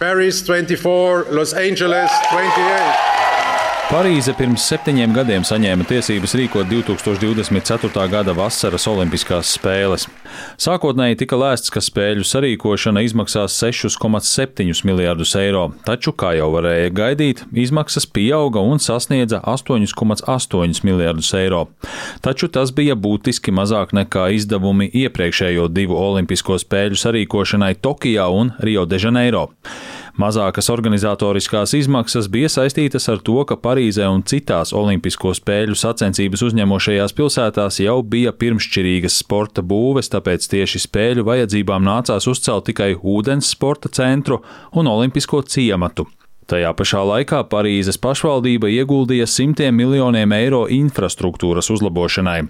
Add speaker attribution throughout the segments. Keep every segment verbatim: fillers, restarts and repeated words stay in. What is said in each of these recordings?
Speaker 1: Paris twenty-four, Los Angeles twenty-eight.
Speaker 2: Parīze pirms septiņiem gadiem saņēma tiesības rīkot divi tūkstoši divdesmit ceturtā gada vasaras olimpiskās spēles. Sākotnēji tika lēsts, ka spēļu sarīkošana izmaksās sešus komats septiņus miljardus eiro, taču, kā jau varēja gaidīt, izmaksas pieauga un sasniedza astoņus komats astoņus miljardus eiro. Taču tas bija būtiski mazāk nekā izdevumi iepriekšējo divu olimpisko spēļu sarīkošanai Tokijā un Rio de Janeiro. Mazākas organizatoriskās izmaksas bija saistītas ar to, ka Parīzē un citās olimpisko spēļu sacensības uzņemošajās pilsētās jau bija pirmšķirīgas sporta būves, tāpēc tieši spēļu vajadzībām nācās uzcelt tikai ūdens sporta centru un olimpisko ciematu. Tajā pašā laikā Parīzes pašvaldība ieguldīja simtiem miljoniem eiro infrastruktūras uzlabošanai.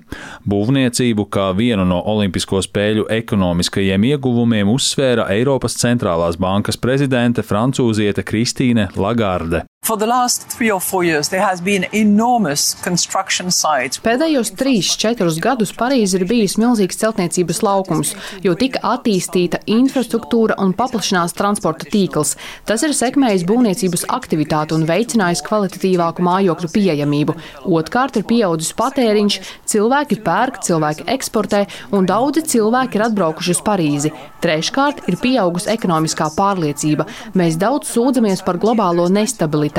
Speaker 2: Būvniecību kā vienu no olimpisko spēļu ekonomiskajiem ieguvumiem uzsvēra Eiropas centrālās bankas prezidente francūziete Kristīne Lagarde.
Speaker 3: For the last three or four years, there has been enormous construction sites.
Speaker 4: Pēdējos trīs, četrus gadus Parīze ir bijis milzīgs celtniecības laukums, jo tika attīstīta infrastruktūra un paplašinās transporta tīkls. Tas ir sekmējis būvniecības aktivitāti un veicinājis kvalitatīvāku mājokļu pieejamību. Otkārt ir pieaudzis patēriņš, cilvēki pērk, cilvēki eksportē un daudzi cilvēki ir atbraukuši uz Parīzi. Treškārt ir pieaugusi ekonomiskā pārliecība. Mēs daudz sūdzamies par globālo nestabilitāti.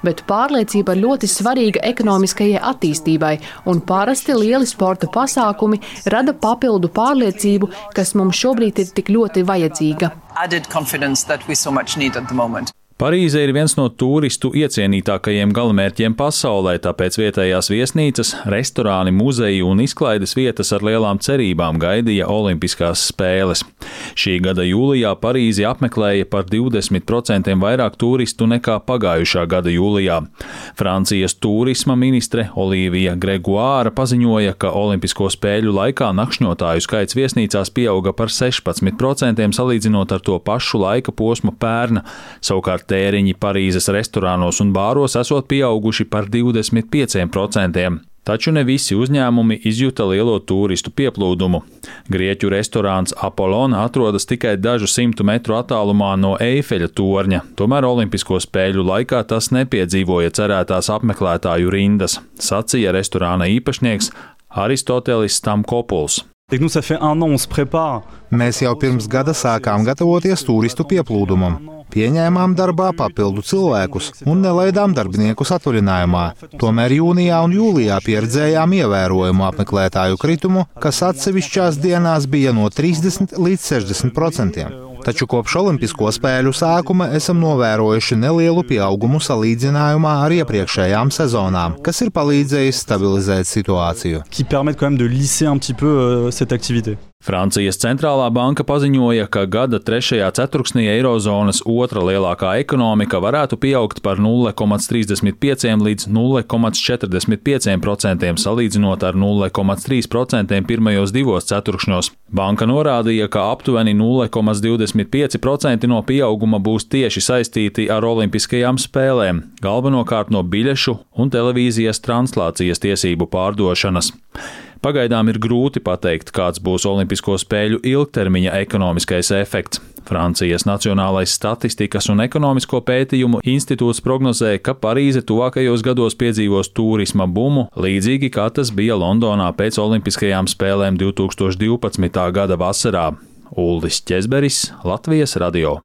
Speaker 4: Bet pārliecība ir ļoti svarīga ekonomiskajai attīstībai, un parasti lieli sporta pasākumi rada papildu pārliecību, kas mums šobrīd ir tik ļoti vajadzīga.
Speaker 2: Parīze ir viens no turistu iecienītākajiem galamērķiem pasaulē, tāpēc vietējās viesnīcas, restorāni, muzeji un izklaides vietas ar lielām cerībām gaidīja olimpiskās spēles. Šī gada jūlijā Parīzi apmeklēja par divdesmit procentiem vairāk turistu nekā pagājušā gada jūlijā. Francijas turisma ministre Olivija Gregoire paziņoja, ka olimpisko spēļu laikā nakšņotāju skaits viesnīcās pieauga par sešpadsmit procentiem salīdzinot ar to pašu laika posmu pērna. Savukārt tēriņi Parīzes restorānos un bāros esot pieauguši par divdesmit pieciem procentiem. Taču ne visi uzņēmumi izjuta lielo turistu pieplūdumu. Grieķu restorāns Apollon atrodas tikai dažu simtu metru attālumā no Eifeļa torņa, tomēr olimpisko spēļu laikā tas nepiedzīvoja cerētās apmeklētāju rindas, sacīja restorāna īpašnieks Aristotelis Stamkopuls.
Speaker 5: Mēs jau pirms gada sākām gatavoties turistu pieplūdumam. Pieņēmām darbā papildu cilvēkus un nelaidām darbiniekus atvaļinājumā. Tomēr jūnijā un jūlijā pieredzējām ievērojumu apmeklētāju kritumu, kas atsevišķās dienās bija no trīsdesmit līdz sešdesmit procentiem. Taču kopš olimpisko spēļu sākuma esam novērojuši nelielu pieaugumu salīdzinājumā ar iepriekšējām sezonām, kas ir palīdzējis stabilizēt situāciju.
Speaker 2: Francijas centrālā banka paziņoja, ka gada trešajā ceturksnī eirozonas otra lielākā ekonomika varētu pieaugt par nulle komats trīsdesmit pieciem līdz nulle komats četrdesmit pieciem procentiem salīdzinot ar nulle komats trīs procentiem pirmajos divos ceturkšņos. Banka norādīja, ka aptuveni nulle komats divdesmit pieci procenti no pieauguma būs tieši saistīti ar olimpiskajām spēlēm, galvenokārt no biļešu un televīzijas translācijas tiesību pārdošanas. Pagaidām ir grūti pateikt, kāds būs olimpisko spēļu ilgtermiņa ekonomiskais efekts. Francijas Nacionālais statistikas un ekonomisko pētījumu institūts prognozē, ka Parīze tuvākajos gados piedzīvos turisma bumu, līdzīgi kā tas bija Londonā pēc olimpiskajām spēlēm divi tūkstoši divpadsmitā gada vasarā. Uldis Ķezberis, Latvijas radio.